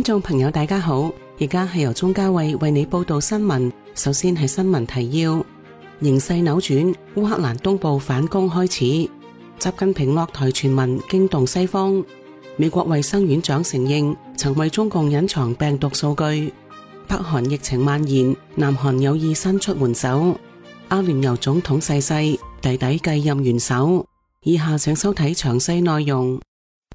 觀眾朋友大家好，而家係由鍾嘉慧為你報道新聞。首先係新聞提要：形勢扭轉，烏克蘭東部反攻開始。習近平落台傳聞驚動西方。美國衛生院長承認曾為中共隱藏病毒數據。北韓疫情蔓延，南韓有意伸出援手。阿聯酋總統逝世，弟弟繼任元首。以下請收睇詳細內容。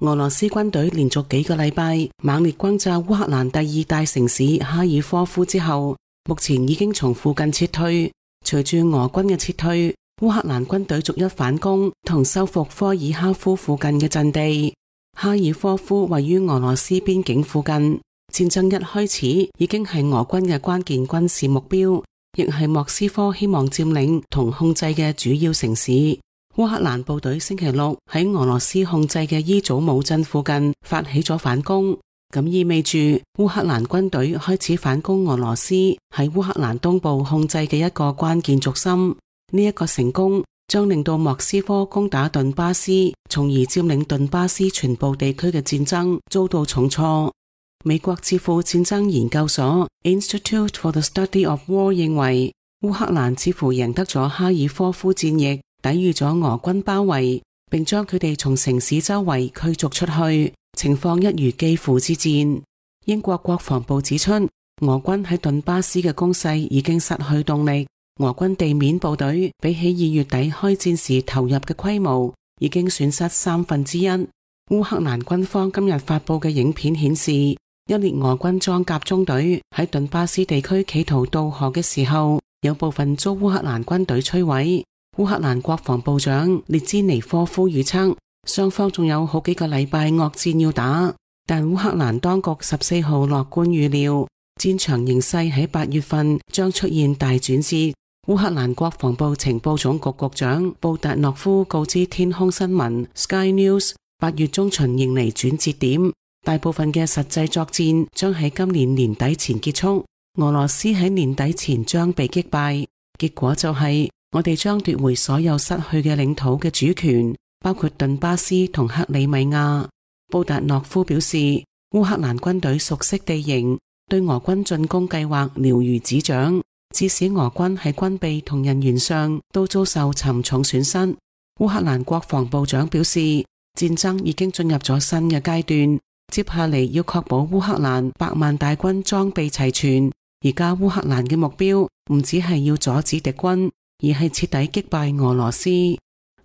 俄羅斯軍隊連續幾個禮拜猛烈轟炸烏克蘭第二大城市哈爾科夫之後，目前已經從附近撤退。隨住俄軍嘅撤退，烏克蘭軍隊逐一反攻同收復科爾哈夫附近嘅陣地。哈爾科夫位於俄羅斯邊境附近，戰爭一開始已經係俄軍嘅關鍵軍事目標，亦係莫斯科希望佔領同控制嘅主要城市。烏克蘭部隊星期六喺俄羅斯控制嘅伊祖姆鎮附近發起咗反攻，咁意味住烏克蘭軍隊開始反攻俄羅斯喺烏克蘭東部控制嘅一個關鍵軸心。呢一個成功將令到莫斯科攻打頓巴斯，從而佔領頓巴斯全部地區嘅戰爭遭到重挫。美國智庫戰爭研究所 Institute for the Study of War 認為，烏克蘭似乎贏得咗哈爾科夫戰役，抵禦咗俄軍包圍，並將佢哋從城市周圍驅逐出去，情況一如基輔之戰。英國國防部指出，俄軍喺頓巴斯嘅攻勢已經失去動力，俄軍地面部隊比起2月底開戰時投入嘅規模，已經損失1/3。烏克蘭軍方今日發佈嘅影片顯示，一列俄軍裝甲中隊喺頓巴斯地區企圖渡河嘅時候，有部分遭烏克蘭軍隊摧毀。烏克蘭國防部長列茲尼科夫預測，雙方仲有好幾個禮拜惡戰要打，但烏克蘭當局14號樂觀預料，戰場形勢喺8月份將出現大轉折。烏克蘭國防部情報總局局長布達諾夫告知天空新聞 Sky News， 8月中旬迎嚟轉折點，大部分嘅實際作戰將喺今年年底前結束，俄羅斯喺年底前將被擊敗，結果就係我哋將奪回所有失去嘅領土嘅主權，包括頓巴斯同克里米亞。布達諾夫表示，烏克蘭軍隊熟悉地形，對俄軍進攻計劃了如指掌，致使俄軍喺軍備同人員上都遭受沉重損失。烏克蘭國防部長表示，戰爭已經進入咗新嘅階段，接下嚟要確保烏克蘭100萬大軍裝備齊全。而家烏克蘭嘅目標唔只係要阻止敵軍，而係徹底擊敗俄羅斯。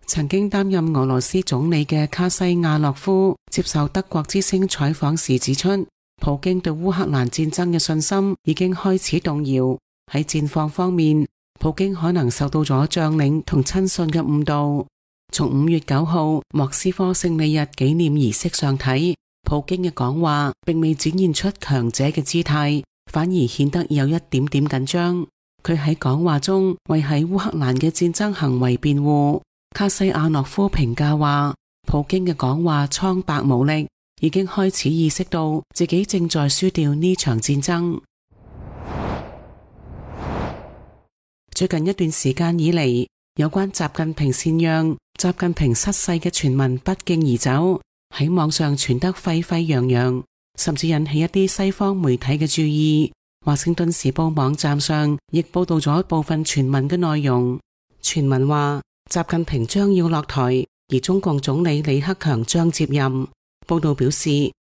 曾經擔任俄羅斯總理嘅卡西亞諾夫接受德國之聲採訪時指出，普京對烏克蘭戰爭嘅信心已經開始動搖。喺戰況方面，普京可能受到咗將領同親信嘅誤導。從5月9號莫斯科勝利日紀念儀式上睇，普京嘅講話並未展現出強者嘅姿態，反而顯得有一點點緊張。佢喺講話中為喺烏克蘭嘅戰爭行為辯護。卡西亞諾夫評價話，普京嘅講話蒼白無力，已經開始意識到自己正在輸掉呢場戰爭。最近一段時間以嚟，有關習近平禪讓、習近平失勢嘅傳聞不脛而走，喺網上傳得沸沸揚揚，甚至引起一啲西方媒體嘅注意。華盛頓時報網站上亦報道咗部分傳聞嘅內容。傳聞話習近平將要落台，而中共總理李克強將接任。報道表示，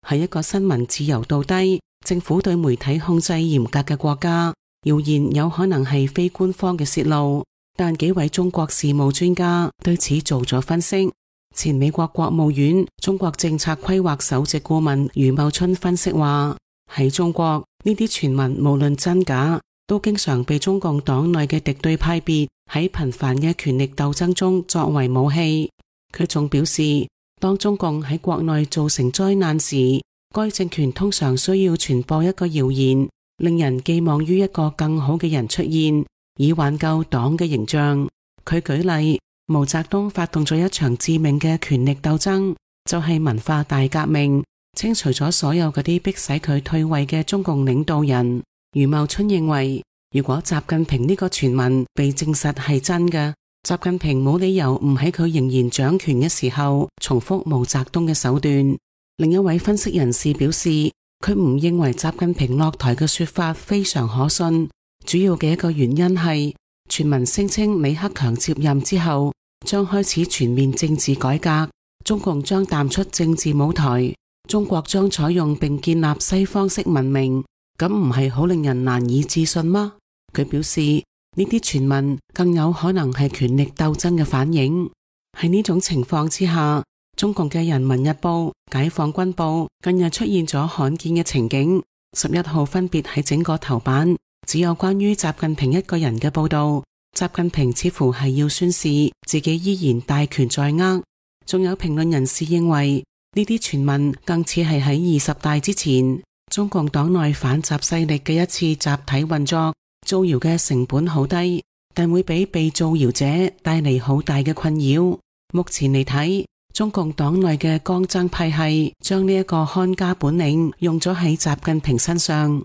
係一個新聞自由度低、政府對媒體控制嚴格嘅國家，謠言有可能係非官方嘅洩露。但幾位中國事務專家對此做咗分析。前美國國務院中國政策規劃首席顧問余茂春分析話，喺中國呢啲傳聞無論真假，都經常被中共黨內嘅敵對派別喺頻繁嘅權力鬥爭中作為武器。佢仲表示，當中共喺國內造成災難時，該政權通常需要傳播一個謠言，令人寄望於一個更好嘅人出現，以挽救黨嘅形象。佢舉例，毛澤東發動咗一場致命嘅權力鬥爭，就係文化大革命，清除咗所有嗰啲迫使佢退位嘅中共領導人。余茂春認為，如果習近平呢個傳聞被證實係真嘅，習近平冇理由唔喺佢仍然掌權嘅時候重複毛澤東嘅手段。另一位分析人士表示，佢唔認為習近平落台嘅說法非常可信，主要嘅一個原因係傳聞聲稱李克強接任之後將開始全面政治改革，中共將淡出政治舞台，中國將採用並建立西方式文明，咁唔係好令人難以置信嗎？佢表示呢啲傳聞更有可能係權力鬥爭嘅反應。喺呢種情況之下，中共嘅人民日報、解放軍報近日出現咗罕見嘅情景，11號分別喺整個頭版只有關於習近平一個人嘅報道。習近平似乎係要宣示自己依然大權在握。仲有評論人士認為呢啲傳聞更似係喺20大之前中共黨內反習勢力嘅一次集體運作，造謠嘅成本好低，但會俾被造謠者帶嚟好大嘅困擾。目前嚟睇，中共黨內嘅江增派系將呢一個看家本領用咗喺習近平身上。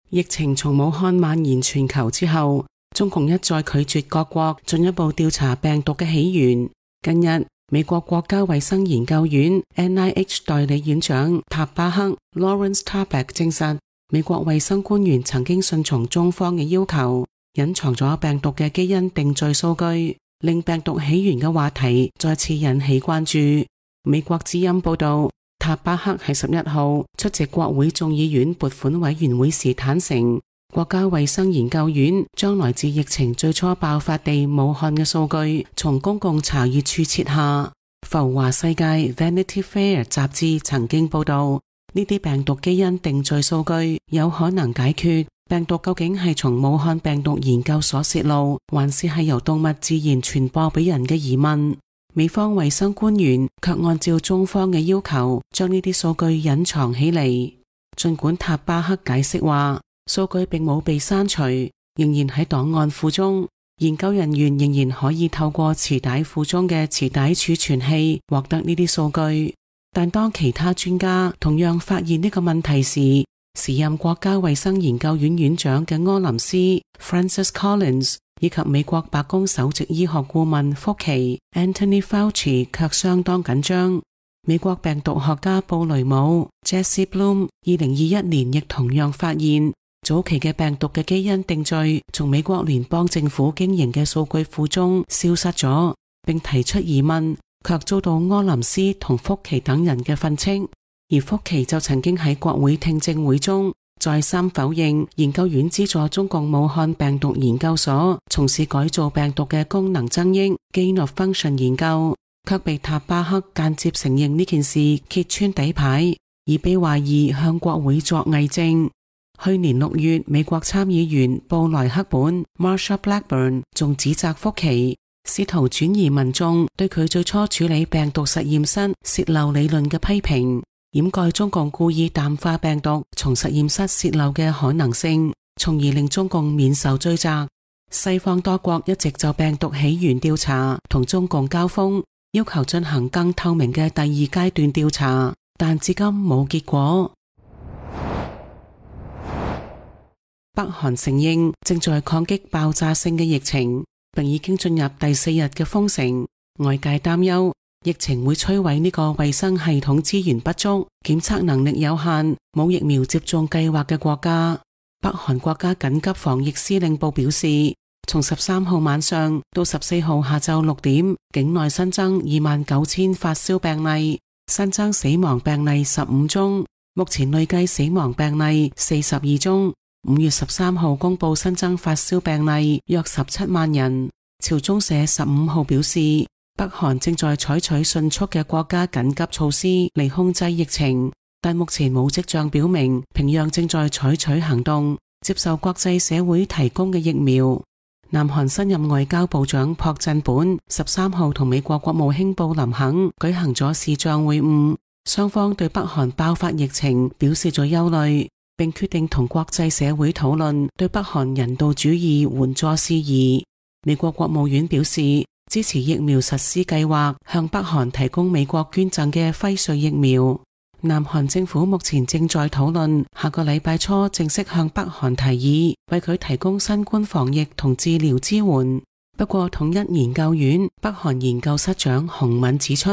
疫情從武漢蔓延全球之後，中共一再拒絕各國進一步調查病毒嘅起源。近日，美國國家衛生研究院 NIH 代理院長塔巴克 Lawrence Tabak 證實，美國衛生官員曾經順從中方嘅要求，隱藏咗病毒嘅基因定序數據，令病毒起源嘅話題再次引起關注。美國之音報道，塔巴克喺11號出席國會眾議院撥款委員會時坦承，國家衛生研究院將來自疫情最初爆發地武漢嘅數據從公共查閱處撤下。浮華世界 Vanity Fair 雜誌曾經報道，呢啲病毒基因定序數據有可能解決病毒究竟係從武漢病毒研究所洩露，還是係由動物自然傳播俾人嘅疑問。美方衛生官員卻按照中方嘅要求，將呢啲數據隱藏起嚟。盡管塔巴克解釋話，數據並冇被刪除，仍然喺檔案庫中，研究人員仍然可以透過磁帶庫中嘅磁帶儲存器獲得呢啲數據。但當其他專家同樣發現呢個問題時，時任國家衛生研究院院長嘅柯林斯 Francis Collins 以及美國白宮首席醫學顧問福奇 Anthony Fauci 卻相當緊張。美國病毒學家布雷姆 Jesse Bloom 2021年亦同樣發現，早期嘅病毒嘅基因定序從美國聯邦政府經營嘅數據庫中消失咗，並提出疑問，卻遭到柯林斯同福奇等人嘅訓斥。而福奇就曾經喺國會聽證會中再三否認研究院資助中共武漢病毒研究所從事改造病毒嘅功能增益 gain of function 研究，卻被塔巴克間接承認呢件事揭穿底牌，而被懷疑向國會作偽證。去年6月，美國參議員布萊克本 Marsha Blackburn 仲指責福奇試圖轉移民眾對佢最初處理病毒實驗室洩漏理論嘅批評，掩蓋中共故意淡化病毒從實驗室洩漏嘅可能性，從而令中共免受追責。西方多國一直就病毒起源調查同中共交鋒，要求進行更透明嘅第二階段調查，但至今冇結果。北韓承認正在抗擊爆炸性嘅疫情，並已經進入第4日嘅封城。外界擔憂疫情會摧毀呢個衛生系統資源不足、檢測能力有限、冇疫苗接種計劃嘅國家。北韓國家緊急防疫司令部表示，從13號晚上到14號下晝6點，境內新增29,000發燒病例，新增死亡病例15宗，目前累計死亡病例42宗。5月13號公布新增發燒病例約17萬人。朝中社15號表示，北韓正在採取迅速嘅國家緊急措施嚟控制疫情，但目前冇跡象表明平壤正在採取行動，接受國際社會提供嘅疫苗。南韓新任外交部長朴振本13號同美國國務卿布林肯舉行咗視像會晤，雙方對北韓爆發疫情表示咗憂慮，並決定同國際社會討論對北韓人道主義援助事宜。美國國務院表示支持疫苗實施計劃，向北韓提供美國捐贈嘅輝瑞疫苗。南韓政府目前正在討論下個禮拜初正式向北韓提議為佢提供新冠防疫同治療支援。不過統一研究院北韓研究室長洪敏指出，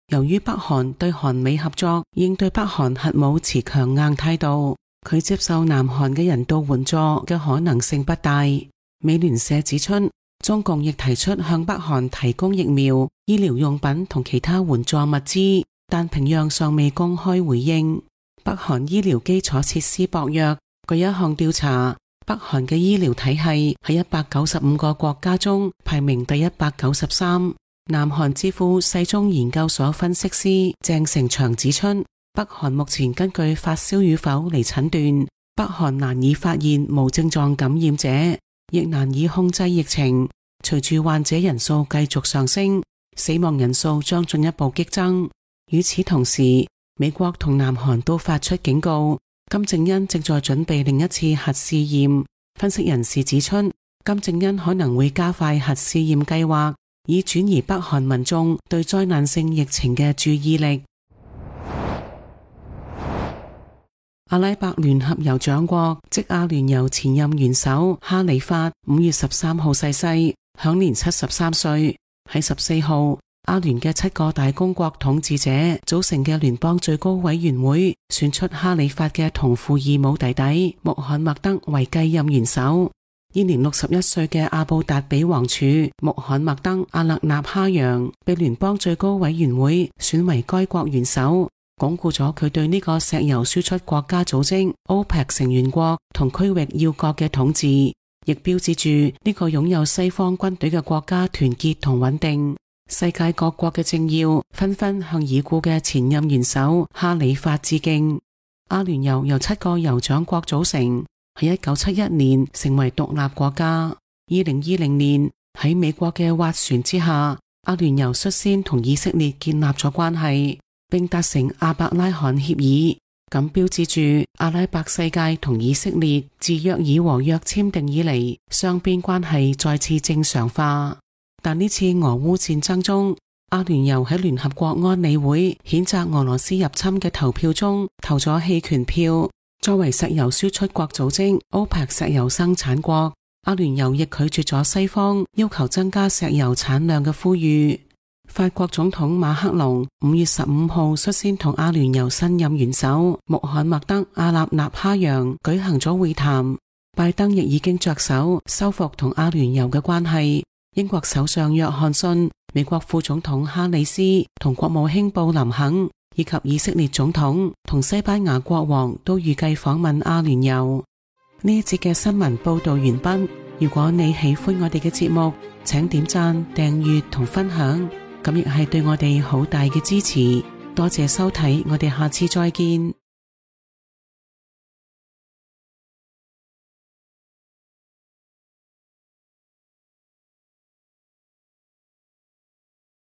由於北韓對韓美合作應對北韓核武持強硬態度，佢接受南韓嘅人道援助嘅可能性不大。美聯社指出，中共亦提出向北韓提供疫苗、醫療用品同其他援助物資，但平壤尚未公開回應。北韓醫療基礎設施薄弱，據一項調查，北韓嘅醫療體系喺195個國家中排名第193。南韓智庫世宗研究所分析師鄭成祥指出，北韓目前根據發燒與否嚟診斷，北韓難以發現無症狀感染者，亦難以控制疫情。隨住患者人數繼續上升，死亡人數將進一步激增。與此同時，美國同南韓都發出警告，金正恩正在準備另一次核試驗。分析人士指出，金正恩可能會加快核試驗計劃，以轉移北韓民眾對災難性疫情嘅注意力。阿拉伯聯合酋長國即阿聯酋前任元首哈里發5月13號逝世，享年73歲。喺14號，阿聯嘅7個大公國統治者組成嘅聯邦最高委員會選出哈里發嘅同父異母弟弟穆罕默德為繼任元首。現年61歲嘅阿布達比王儲穆罕默德阿勒納哈揚被聯邦最高委員會選為該國元首，鞏固咗佢對呢個石油輸出國家組織 OPEC 成員國同區域要國嘅統治，亦標誌住呢個擁有西方軍隊嘅國家團結同穩定。世界各國嘅政要紛紛向已故嘅前任元首哈里發致敬。阿聯酋由7個酋長國組成，喺1971年成為獨立國家。2020年喺美國嘅斡旋之下，阿聯酋率先同以色列建立咗關係，並達成阿伯拉罕協議，咁標誌住阿拉伯世界同以色列自約爾和約簽訂以嚟，雙邊關係再次正常化。但呢次俄烏戰爭中，阿聯酋喺聯合國安理會譴責俄羅斯入侵嘅投票中投咗棄權票。作為石油輸出國組織 OPEC 石油生產國，阿聯酋亦拒絕咗西方要求增加石油產量嘅呼籲。法國總統馬克龍5月15號率先同阿聯酋新任元首穆罕默德阿勒納哈揚舉行咗會談。拜登亦已經着手修復同阿聯酋嘅關係。英國首相約翰遜、美國副總統哈里斯同國務卿布林肯以及以色列總統同西班牙國王都預計訪問阿聯酋。呢一節嘅新聞報道完畢。如果你喜歡我哋嘅節目，請點讚、訂閱同分享，咁亦係對我哋好大嘅支持。多謝收睇，我哋下次再見。